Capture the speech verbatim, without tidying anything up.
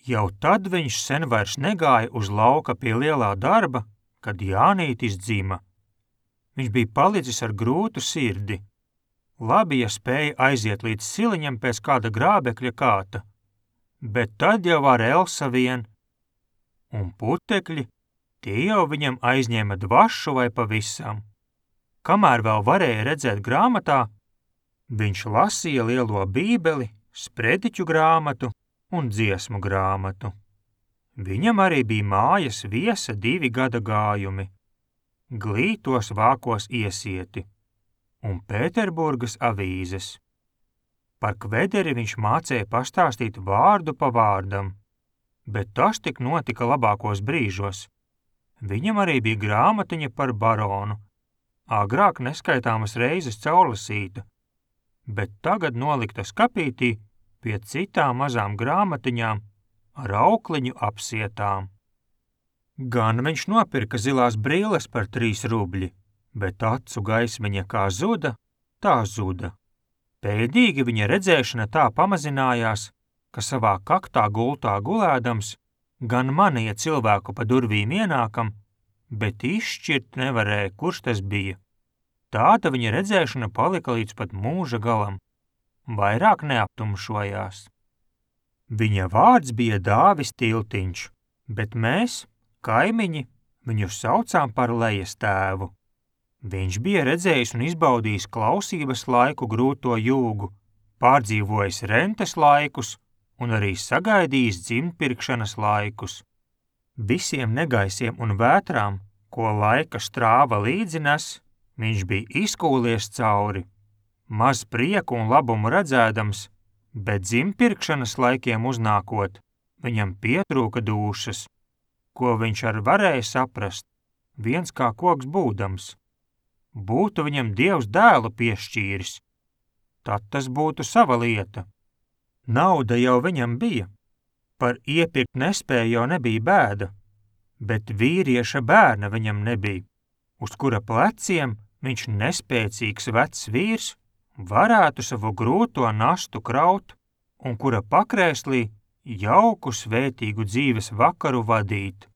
Jau tad viņš sen vairs negāja uz lauka pie lielā darba, kad Jānītis dzima. Viņš bija palicis ar grūtu sirdi. Labi, ja spēja aiziet līdz siliņam pēc kāda grābekļa kāta, bet tad jau ar Elsa vien. Un putekļi, tie jau viņam aizņēma dvašu vai pavisam. Kamēr vēl varēja redzēt grāmatā, viņš lasīja lielo bībeli, sprediķu grāmatu un dziesmu grāmatu. Viņam arī bija mājas viesa divi gada gājumi, glītos vākos iesieti un Pēterburgas avīzes. Par Kvederi viņš mācēja pastāstīt vārdu pa vārdam, bet tas tik notika labākos brīžos. Viņam arī bija grāmatiņa par baronu, agrāk neskaitāmas reizes caurlasīta, bet tagad nolikta skapītī pie citām mazām grāmatiņām ar aukliņu apsietām. Gan viņš nopirka zilās brilles par trīs rubļi, bet acu gaismiņa kā zuda, tā zuda. Pēdīgi viņa redzēšana tā pamazinājās, ka savā kaktā gultā gulēdams gan manīja cilvēku pa durvīm ienākam, bet izšķirt nevarēja, kurš tas bija. Tāda viņa redzēšana palika līdz pat mūža galam, vairāk neaptumšojās. Viņa vārds bija Dāvis Tiltiņš, bet mēs, kaimiņi, viņu saucām par Lejas tēvu. Viņš bija redzējis un izbaudījis klausības laiku grūto jūgu, pārdzīvojis rentes laikus un arī sagaidījis dzimtpirkšanas laikus. Visiem negaisiem un vētrām, ko laika strāva līdzi nes, viņš bija izkūlies cauri. Maz prieku un labumu redzēdams, bet dzimtpirkšanas laikiem uznākot, viņam pietrūka dūšas, ko viņš ar varēja saprast, viens kā koks būdams. Būtu viņam Dievs dēlu piešķīris, tad tas būtu sava lieta. Nauda jau viņam bija, par iepirkt nespēju jau nebija bēda, bet vīrieša bērna viņam nebija, uz kura pleciem viņš nespēcīgs vecs vīrs varētu savu grūto nastu kraut un kura pakrēslī jauku svētīgu dzīves vakaru vadīt.